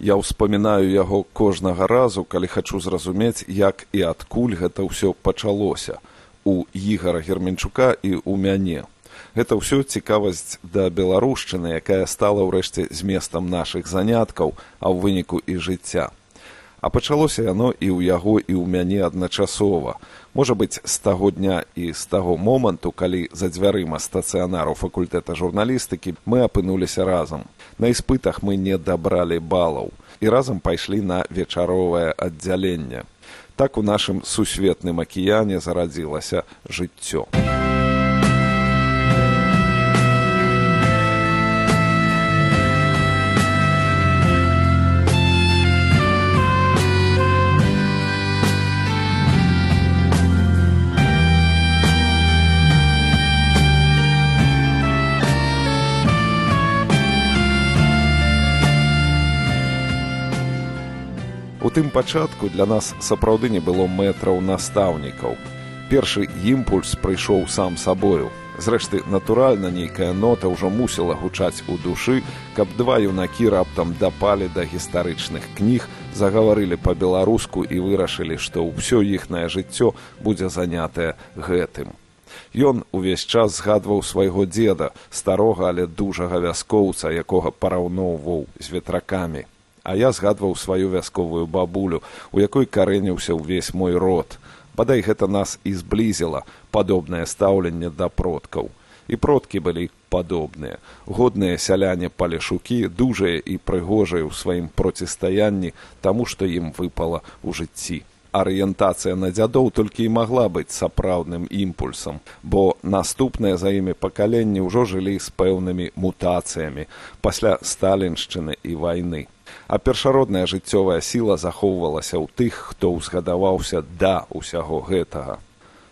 Я ўспамінаю яго кожнага разу, калі хачу зразумець, як і адкуль гэта ўсё пачалося. У Ігара Герменчука і ў мяне. Гэта ўсё цікавасць да беларушчыны, якая стала ўрэшце зместам нашых заняткаў, а ў выніку і жыцця. А пачалося яно і ў яго, і ў мяне адначасова. Можа быць, з таго дня і з таго моманту, калі за дзвярыма стацыянару факультэта журналістыкі мы апынуліся разам. На іспытах мы не дабралі балаў і разам пайшлі на вечаровае аддзяленне. Так у нашым сусветным акіяне зарадзілася жыццё. У тым пачатку для нас сапраўды не было мэтраў настаўнікаў. Першы імпульс прыйшоў сам сабою. Зрэшты, натуральна, нейкая нота ўжо мусіла гучаць у душы, каб два юнакі раптам дапалі да гістарычных кніг, загаварылі па-беларуску і вырашылі, што ўсё іхнае жыццё будзе занятае гэтым. Ён увесь час згадваў свайго дзеда, старога, але дужага вяскоўца, якога параўноўваў з ветракамі. А я згадваў сваю вясковую бабулю, у якой карэніўся ўвесь мой род. Бадай гэта нас і зблізіла, падобнае стаўленне да продкаў. І продкі былі падобныя. Годныя сяляне-палешукі, дужыя і прыгожыя ў сваім процістаянні таму, што ім выпала ў жыцці. Арыентацыя на дзядоў толькі і магла быць сапраўдным імпульсам, бо наступныя за імі пакаленні ўжо жылі з пэўнымі мутацыямі пасля сталіншчыны і вайны. А першародная жыццёвая сіла захоўвалася ў тых, хто ўзгадаваўся да ўсяго гэтага.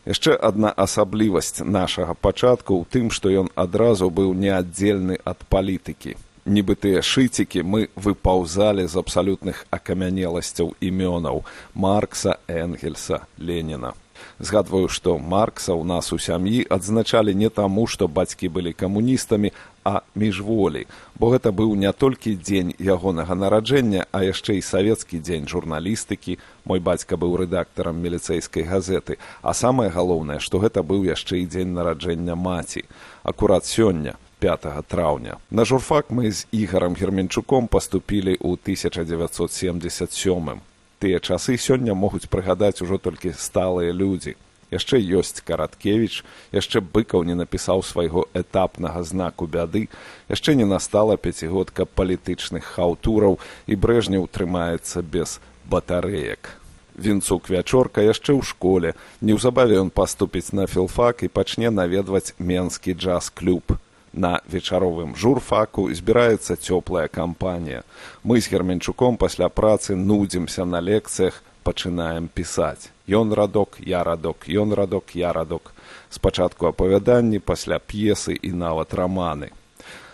Яшчэ адна асаблівасць нашага пачатку ў тым, што ён адразу быў неаддзельны ад палітыкі. Нібы тыя шыцікі мы выпаўзалі з абсалютных акамянеласцяў імёнаў Маркса, Энгельса, Леніна. Згадваю, што Маркса ў нас у сям'і адзначалі не таму, што бацькі былі камуністамі, а міжволі, бо гэта быў не толькі дзень ягонага нараджэння, а яшчэ і савецкі дзень журналістыкі. Мой бацька быў рэдактарам міліцэйскай газеты, а самае галоўнае, што гэта быў яшчэ і дзень нараджэння маці. Акурат сёння, 5 траўня. На журфак мы з Ігарам Герменчуком паступілі ў 1977. Тыя часы сёння могуць прыгадаць ужо толькі сталыя людзі. Яшчэ ёсць Караткевіч, яшчэ Быкаў не напісаў свайго этапнага знаку бяды, яшчэ не настала пяцігодка палітычных хаўтураў і Брэжнеў трымаецца без батарэек. Вінцук Вячорка яшчэ ў школе, неўзабаве ён паступіць на філфак і пачне наведваць Менскі джаз-клуб. На вечаровым журфаку збіраецца цёплая кампанія. Мы з Герменчуком пасля працы нудзімся на лекцыях, пачынаем пісаць. Ён радок, я радок, ён радок, я радок. Спачатку апавяданні, пасля п'есы і нават раманы.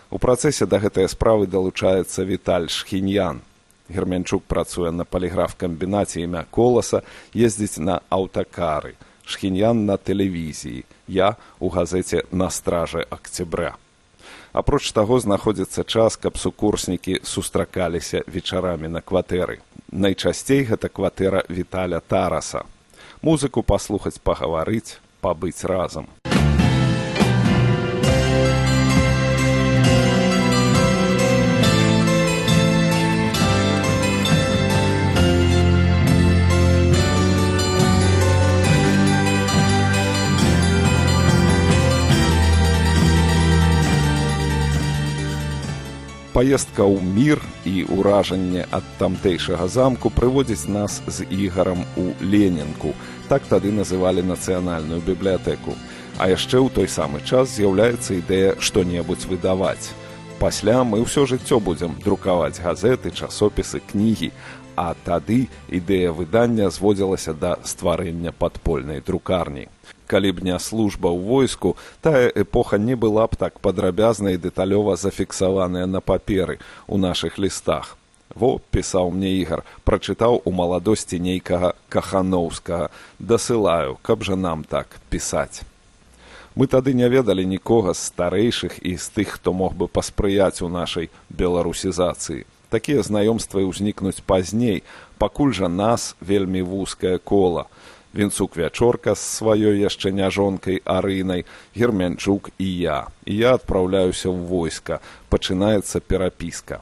У працэсе да гэтай справы далучаецца Віталь Шхіньян. Герменчук працуе на паліграф-камбінаце імя Коласа, ездзіць на аўтакары. Шхіньян на тэлевізіі, я у газеце «На страже Октября». Апроч таго, знаходзіцца час, каб сукурснікі сустракаліся вечарамі на кватэры. Найчасцей гэта кватэра Віталя Тараса. Музыку паслухаць, пагаварыць, пабыць разам. Паездка ў мір і ўражанне ад тамтэйшага замку прыводзіць нас з Ігарам у Ленінку. Так тады называлі нацыянальную бібліятэку. А яшчэ ў той самы час з'яўляецца ідэя што-небудзь выдаваць. Пасля мы ўсё жыццё будзем друкаваць газеты, часопісы, кнігі. А тады ідэя выдання зводзілася да стварэння падпольнай друкарні. Калі б не служба ў войску, тая эпоха не была б так падрабязна і дэталёва зафіксаваная на паперы ў нашых лістах. Во, пісаў мне Ігар, прачытаў у маладосці нейкага Кахановскага. Дасылаю, каб жа нам так пісаць. Мы тады не ведалі нікога з старэйшых і з тых, хто мог бы паспрыяць у нашай беларусізацыі. Такія знаёмствы ўзнікнуць пазней, пакуль жа нас вельмі вузкае кола. Вінцук Вячорка з сваёй яшчэ няжонкай Арынай, Гермянчук і я. І я адпраўляюся ў войска. Пачынаецца перапіска.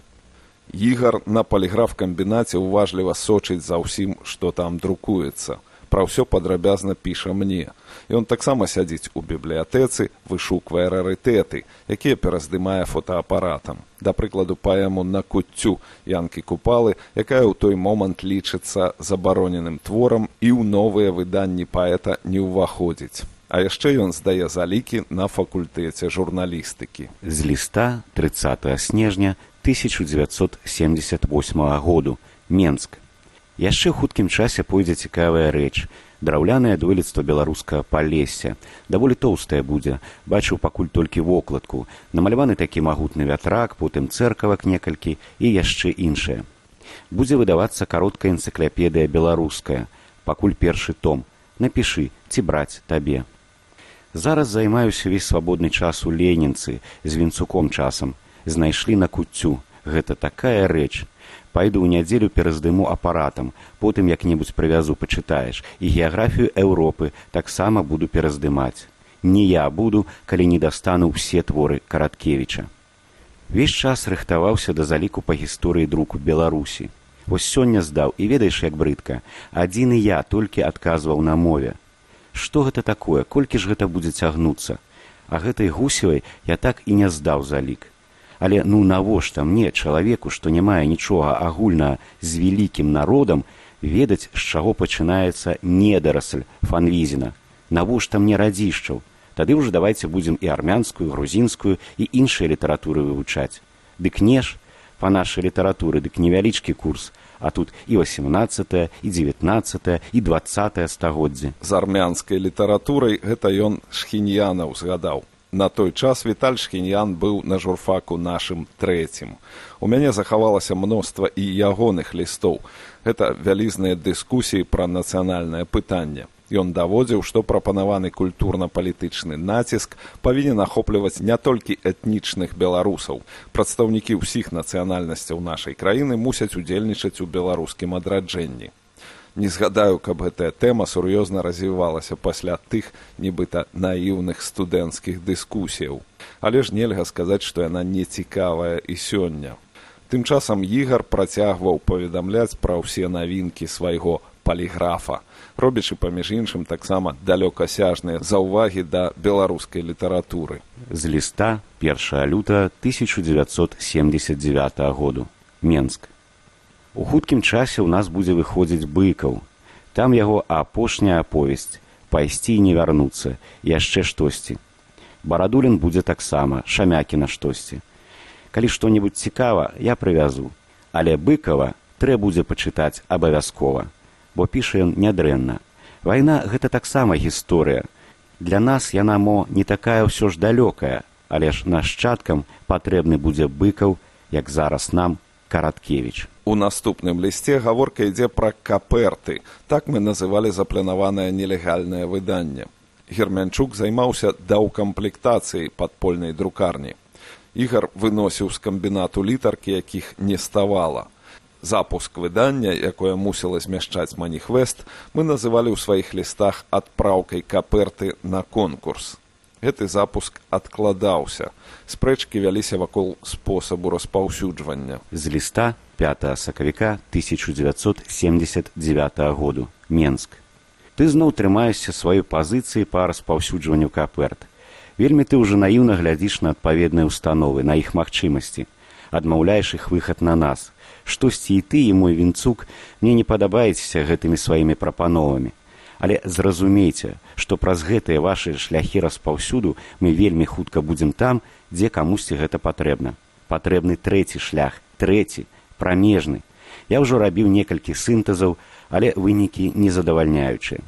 Ігар на паліграф-камбінаце уважліва сочыць за ўсім, што там друкуецца. Пра ўсё падрабязна піша мне. Ён таксама сядзіць у бібліятэцы, вышуквае рарытэты, якія пераздымае фотоапаратам. Да прыкладу, паэму «На куццю» Янкі Купалы, якая ў той момант лічыцца забароненым творам і ў новыя выданні паэта не ўваходзіць. А яшчэ ён здае залікі на факультэце журналістыкі. З ліста 30 снежня 1978 году. Менск. Яшчэ ў хуткім часе пойдзе цікавая рэч. Драўлянае дойлідства беларускага Палесся. Даволі тоўстае будзе. Бачыў пакуль толькі вокладку. Намаляваны такі магутны вятрак, потым цэркавак некалькі і яшчэ іншае. Будзе выдавацца кароткая энцыклапедыя беларуская. Пакуль першы том. Напішы, ці браць табе. Зараз займаюся ўвесь свабодны час у Ленінцы, з Вінцуком часам. Знайшлі на куццю. Гэта такая рэч. Пайду ў нядзелю пераздыму апаратам, потым як-небудзь прывязу пачытаеш, і геаграфію Еўропы таксама буду пераздымаць. Не я буду, калі не дастану ўсе творы Караткевіча. Весь час рыхтаваўся да заліку па гісторыі друку Беларусі. Вось сёння здаў, і ведаеш, як брыдка, адзіны я толькі адказваў на мове. Што гэта такое, колькі ж гэта будзе цягнуцца? А гэтай Гусевай я так і не здаў залік. Але навошта мне, чалавеку, што не мае нічога агульнага з вялікім народам, ведаць, з чаго пачынаецца недарасль Фанвізіна? Навошта мне радзішчаў? Тады ўжо давайце будзем і армянскую, грузінскую і іншыя літаратуры вывучаць. Дык не ж, па нашай літаратуры, дык невялічкі курс, а тут і 18, і 19, і 20 стагоддзе. З армянскай літаратурай гэта ён Шхіньянаў згадаў. На той час Віталь Шхіньян быў на журфаку нашым трэцім. У мяне захавалася мноства і ягоных лістоў. Гэта вялізныя дыскусіі пра нацыянальнае пытанне. Ён даводзіў, што прапанаваны культурна-палітычны націск павінен ахопліваць не толькі этнічных беларусаў. Прадстаўнікі ўсіх нацыянальнасцяў нашай краіны мусяць удзельнічаць у беларускім адраджэнні. Не згадаю, каб гэтая тэма сур'ёзна развівалася пасля тых, нібыта, наіўных студэнцкіх дыскусіяў. Але ж нельга сказаць, што яна не цікавая і сёння. Тым часам Ігар працягваў паведамляць пра ўсе навінкі свайго паліграфа, робячы, паміж іншым, таксама далёкасяжныя заўвагі да беларускай літаратуры. З ліста 1 лютага 1979 году. Менск. У хуткім часе ў нас будзе выходзіць Быкаў. Там яго апошняя аповесць «Пайсці і не вярнуцца», яшчэ штосьці. Барадулін будзе таксама, Шамякіна штосьці. Калі што-небудзь цікава, я прывязу. Але Быкава трэ будзе пачытаць абавязкова, бо піша ён нядрэнна. Вайна – гэта таксама гісторыя. Для нас яна, не такая ўсё ж далёкая, але ж нашчадкам патрэбны будзе Быкаў, як зараз нам Караткевіч. У наступным лісце гаворка ідзе пра каперты. Так мы называлі запланаванае нелегальнае выданне. Гермянчук займаўся даўкамплектацыяй падпольнай друкарні. Ігар выносіў з камбінату літаркі, якіх не ставала. Запуск выдання, якое мусіла змяшчаць маніхвест, мы называлі ў сваіх лістах адпраўкай каперты на конкурс. Гэты запуск адкладаўся. Спрэчкі вяліся вакол спосабу распаўсюджвання. З ліста 5 сакавіка 1979 году. Менск. Ты зноў трымаешся сваёй пазіцыі па распаўсюджванню каперт. Вельмі ты ўжо наіўна глядзіш на адпаведныя ўстановы, на іх магчымасці. Адмаўляеш іх выхад на нас. Штосьці і ты, і мой Вінцук, мне не падабаецеся гэтымі сваімі прапановамі. Але зразумейце, што праз гэтыя вашы шляхі распаўсюду мы вельмі хутка будзем там, дзе камусьці гэта патрэбна. Патрэбны трэці шлях, трэці, прамежны. Я ўжо рабіў некалькі сінтэзаў, але вынікі незадавальняючыя.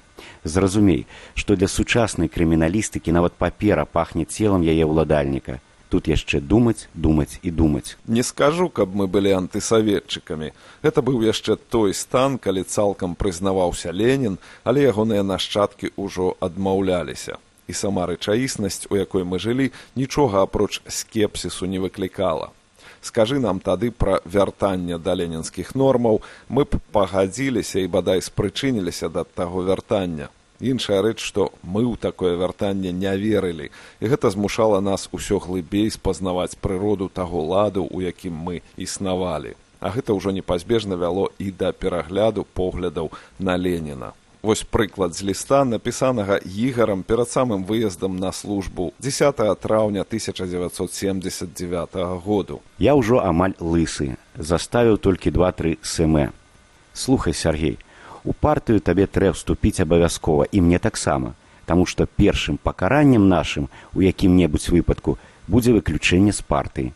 Зразумей, што для сучаснай крыміналістыкі нават папера пахне целам яе ўладальніка. Тут яшчэ думаць, думаць і думаць. Не скажу, каб мы былі антысаветчыкамі. Гэта быў яшчэ той стан, калі цалкам прызнаваўся Ленін, але ягоныя нашчадкі ўжо адмаўляліся. І сама рэчаіснасць, у якой мы жылі, нічога апроч скепсісу не выклікала. Скажы нам тады пра вяртанне да ленінскіх нормаў, мы б пагадзіліся і бадай спрычыніліся да таго вяртання. Іншая рэч, што мы ў такое вяртанне не верылі, і гэта змушала нас усё глыбей спазнаваць прыроду таго ладу, у якім мы існавалі. А гэта ўжо непазбежна вяло і да перагляду поглядаў на Леніна. Вось прыклад з ліста, напісанага Ігарам перад самым выездам на службу 10 траўня 1979 году. Я ўжо амаль лысы, заставіў толькі 2-3 см. Слухай, Сергей, у партыю табе трэба вступіць абавязкова, і мне таксама, таму што першым пакараннем нашым у якім-небудзь выпадку будзе выключэнне з партыі.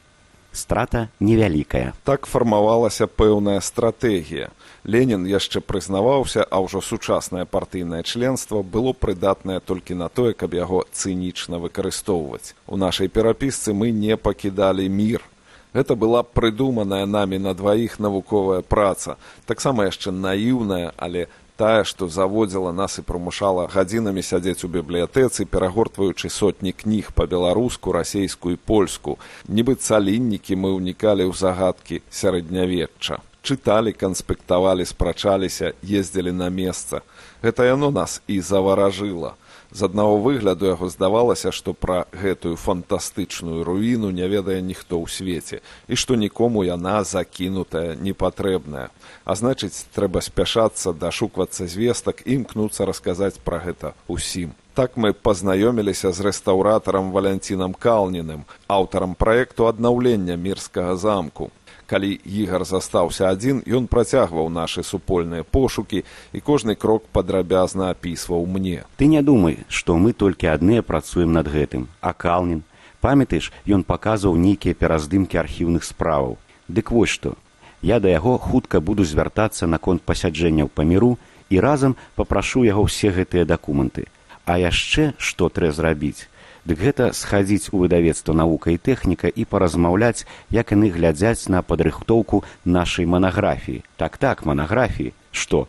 Страта невялікая. Так фармавалася пэўная стратэгія. Ленін яшчэ прызнаваўся, а ўжо сучаснае партыйнае членства было прыдатнае толькі на тое, каб яго цынічна выкарыстоўваць. У нашай перапісцы мы не пакідалі мір. Гэта была прыдуманая намі на дваіх навуковая праца, таксама яшчэ наіўная, але тая, што заводзіла нас і прымушала гадзінамі сядзець у бібліятэцы, перагортваючы сотні кніг па-беларуску, расейску і польску. Нібы цаліннікі мы ўнікалі ў загадкі сярэднявечча. Чыталі, канспектавалі, спрачаліся, ездзілі на месца. Гэта яно нас і заваражыла. З аднаго выгляду яго здавалася, што пра гэтую фантастычную руіну не ведае ніхто ў свеце, і што нікому яна закінутая, непатрэбная. А значыць, трэба спяшацца, дашуквацца звестак і імкнуцца расказаць пра гэта ўсім. Так мы пазнаёміліся з рэстаўратарам Валянцінам Калніным, аўтарам праекту аднаўлення Мірскага замку. Калі Ігар застаўся адзін, ён працягваў нашы супольныя пошукі і кожны крок падрабязна апісваў мне. Ты не думай, што мы толькі адныя працуем над гэтым. А Калнін, памятаеш, ён паказваў нейкія пераздымкі архіўных справаў. Дык вось што, я да яго хутка буду звяртацца наконт пасяджэнняў па міру і разам папрашу яго ўсе гэтыя дакументы. А яшчэ што трэба зрабіць? Дык гэта схадзіць у выдавецтва «Навука і тэхніка» і паразмаўляць, як яны глядзяць на падрыхтоўку нашай манаграфіі. Так, манаграфіі. Што?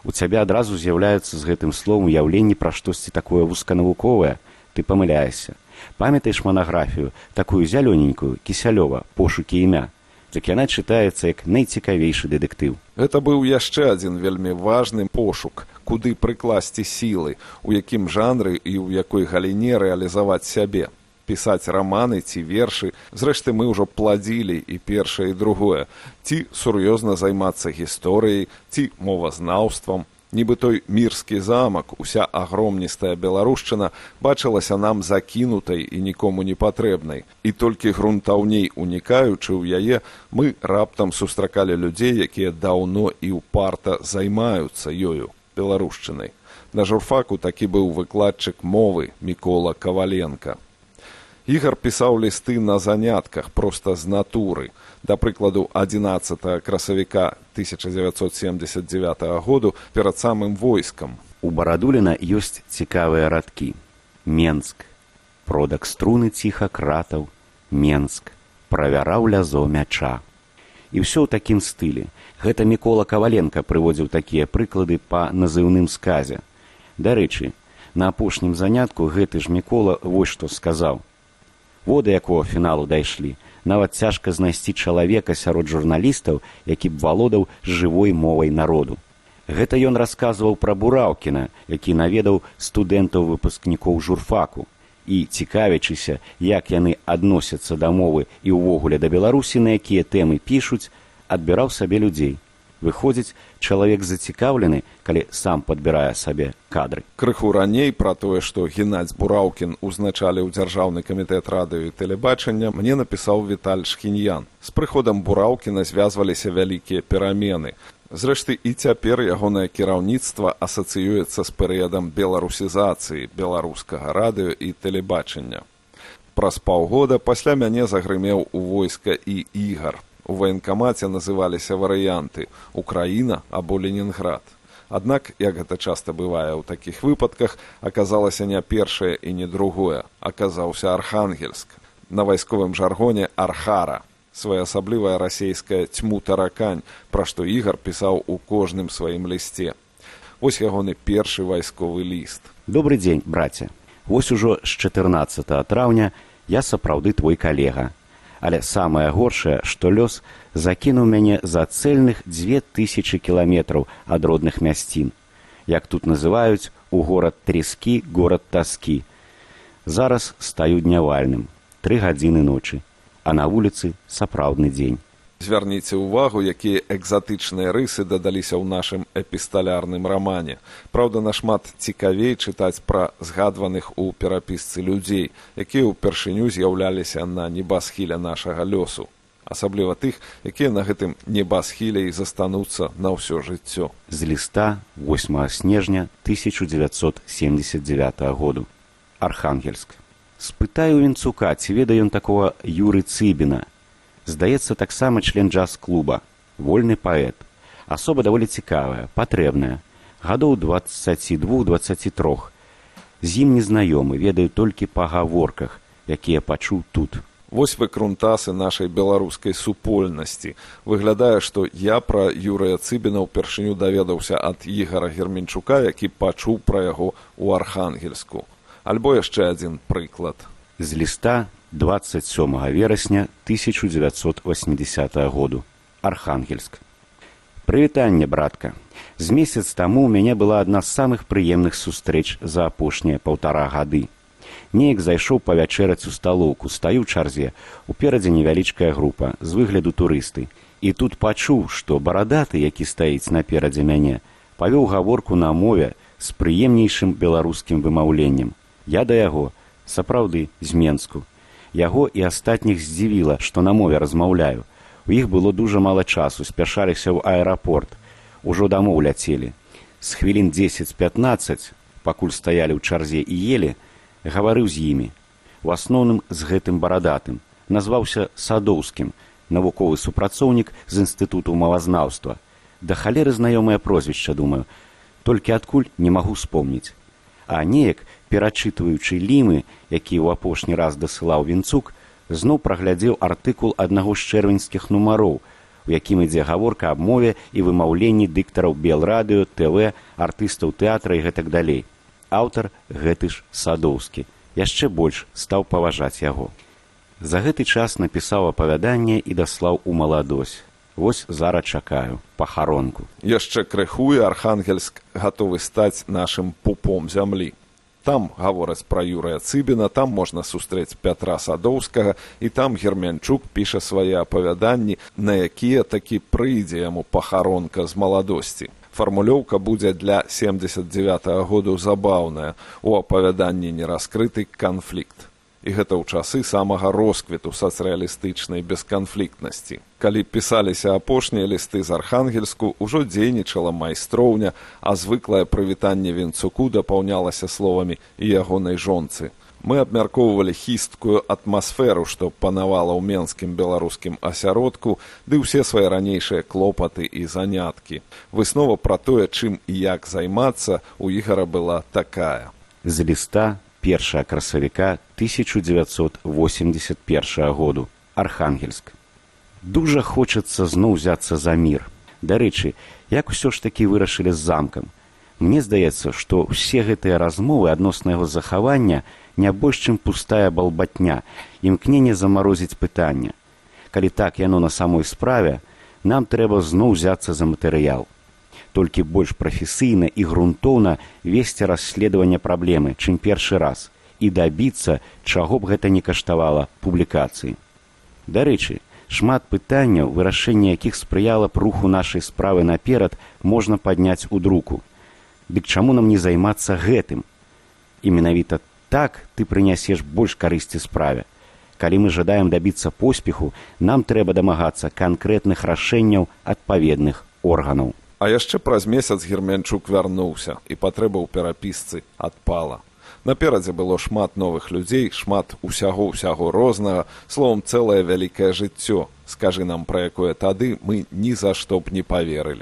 У цябе адразу з'яўляецца з гэтым словам уяўленне пра штосьці такое вузканавуковае? Ты памыляешся. Памятаеш манаграфію, такую зялёненькую, Кісялёва, «Пошукі імя»? Так яна чытаецца як найцікавейшы дэтэктыў. Гэта быў яшчэ адзін вельмі важны пошук, куды прыкласці сілы, у якім жанры і ў якой галіне рэалізаваць сябе. Пісаць раманы ці вершы, зрэшты, мы ўжо пладзілі і першае, і другое. Ці сур'ёзна займацца гісторыяй, ці мовазнаўствам. Нібы той Мірскі замак, уся агромністая беларушчына бачылася нам закінутай і нікому не патрэбнай. І толькі грунтаўней унікаючы ў яе, мы раптам сустракалі людзей, якія даўно і ўпарта займаюцца ёю, беларушчынай. На журфаку такі быў выкладчык мовы Мікола Каваленка. Ігар пісаў лісты на занятках, проста з натуры. Да прыкладу, 11 красавіка 1979 году перад самым войскам. У Барадуліна ёсць цікавыя радкі. Менск. Продак струны ціха кратаў. Менск. Правяраў лязо мяча. І ўсё ў такім стылі. Гэта Мікола Каваленка прыводзіў такія прыклады па назыўным сказе. Дарэчы, на апошнім занятку гэты ж Мікола вось што сказаў. Во да якого фіналу дайшлі. Нават цяжка знайсці чалавека сярод журналістаў, які б валодаў жывой мовай народу. Гэта ён расказваў пра Бураўкіна, які наведаў студэнтаў-выпускнікоў журфаку. І, цікавячыся, як яны адносяцца да мовы і ўвогуле да Беларусі, на якія тэмы пішуць, адбіраў сабе людзей. Выходзіць, чалавек зацікаўлены, калі сам падбірае сабе кадры. Крыху раней пра тое, што Геннадзь Бураўкін узначаліў Дзяржаўны камітэт радыё і тэлебачання, мне напісаў Віталь Шхіньян. З прыходам Бураўкіна звязваліся вялікія перамены. Зрэшты, і цяпер ягонае кіраўніцтва асацыюецца з перыядам беларусізацыі беларускага радыё і тэлебачання. Праз паўгода пасля мяне загрымеў у войска і Ігар. У ваенкамаце называліся варыянты «Украіна» або «Ленінград». Аднак, як гэта часта бывае ў такіх выпадках, аказалася не першае і не другое. Аказаўся Архангельск. На вайсковым жаргоне «Архара». Своеасаблівая расейская «Цьму-таракань», пра што Ігар пісаў у кожным сваім лісце. Вось ягоны першы вайсковы ліст. Добры дзень, браце. Вось ужо з 14 траўня я сапраўды твой калега. Але самае горшае, што лёс закінуў мяне за цэльных 2000 кіламетраў ад родных мясцін. Як тут называюць, у горад Трескі, горад Таскі. Зараз стаю днявальным, 3 гадзіны ночы, а на вуліцы сапраўдны дзень. Звярніце ўвагу, якія экзатычныя рысы дадаліся ў нашым эпісталярным рамане. Праўда, нашмат цікавей чытаць пра згадваных у перапісцы людзей, якія ўпершыню з'яўляліся на небасхіле нашага лёсу. Асабліва тых, якія на гэтым небасхіле і застануцца на ўсё жыццё. З ліста 8 снежня 1979 году. Архангельск. Спытаю Вінцука, ці ведае ён такога Юры Цыбіна. Здаецца, таксама член джаз-клуба, вольны паэт. Асоба даволі цікавая, патрэбная. Гадоў 22-23. З ім незнаёмы, ведаю толькі па гаворках, якія пачуў тут. Вось выкрунтасы нашай беларускай супольнасці. Выглядае, што я пра Юрыя Цыбіна ўпершыню даведаўся ад Ігара Герменчука, які пачуў пра яго ў Архангельску. Альбо яшчэ адзін прыклад. З ліста 27 верасня 1980 году. Архангельск. Прывітанне, братка. З месяц таму ў мяне была адна з самых прыемных сустрэч за апошнія 1,5 гады. Неяк зайшоў павячэраць у сталоўку, стаю ў чарзе, уперадзе невялічкая група, з выгляду турысты. І тут пачуў, што барадаты, які стаіць наперадзе мяне, павёў гаворку на мове з прыемнейшым беларускім вымаўленнем. Я да яго, сапраўды, з Менску. Яго і астатніх здзівіла, што на мове размаўляю. У іх было дужа мала часу, спяшаліся ў аэрапорт. Ужо дамоў ляцелі. З хвілін 10-15, пакуль стаялі ў чарзе і елі, гаварыў з імі. У асноўным з гэтым барадатым. Назваўся Садоўскім, навуковы супрацоўнік з інстытуту мовазнаўства. Да халеры знаёмае прозвішча, думаю. Толькі адкуль не магу спомніць. А неяк, перачытваючы лімы, які ў апошні раз дасылаў Вінцук, зноў праглядзеў артыкул аднаго з чэрвеньскіх нумароў, у якім ідзе гаворка аб мове і вымаўленні дыктараў Белрадыё, ТВ, артыстаў тэатра і гэтак далей. Аўтар гэты ж Садоўскі. Яшчэ больш стаў паважаць яго. За гэты час напісаў апавяданне і даслаў у маладосць. Вось зараз чакаю пахаронку. Яшчэ крыху і Архангельск гатовы стаць нашым пупом зямлі. Там гавораць пра Юрыя Цыбіна, там можна сустрэць Пятра Садоўскага, і там Герменчук піша свае апавяданні, на якія такі прыйдзе яму пахаронка з маладосці. Фармулёўка будзе для 79-го году забаўная. У апавяданні не раскрыты канфлікт. І гэта ў часы самага росквіту сацыялістычнай бесканфліктнасці. Калі пісаліся апошнія лісты з Архангельску, ужо дзейнічала майстроўня, а звыклае прывітанне Вінцуку дапаўнялася словамі і ягонай жонцы. Мы абмяркоўвалі хісткую атмасферу, што панавала ў менскім беларускім асяродку, ды ўсе свае ранейшыя клопаты і заняткі. Выснова пра тое, чым і як займацца, у Ігара была такая. З ліста 1 красавіка 1981 году. Архангельск. Дужа хочацца зноў узяцца за мір. Дарэчы, як усё ж такі вырашылі з замкам? Мне здаецца, што ўсе гэтыя размовы адносна яго захавання не больш, чым пустая балбатня, імкненне замарозіць пытання. Калі так яно на самой справе, нам трэба зноў узяцца за матэрыял. Толькі больш прафесійна і грунтоўна весці расследаванне праблемы, чым першы раз, і дабіцца, чаго б гэта не каштавала публікацыі. Дарэчы, шмат пытанняў, вырашэнне якіх спрыяла б руху нашай справы наперад, можна падняць у друку. Дык чаму нам не займацца гэтым? І менавіта так ты прынясеш больш карысці справе. Калі мы жадаем дабіцца поспеху, нам трэба дамагацца канкрэтных рашэнняў адпаведных органаў. А яшчэ праз месяц Герменчук вярнуўся, і патрэба ў перапісцы адпала. Наперадзе было шмат новых людзей, шмат усяго рознага, словам, цэлае вялікае жыццё. Скажы нам, пра якое тады мы ні за што б не паверылі.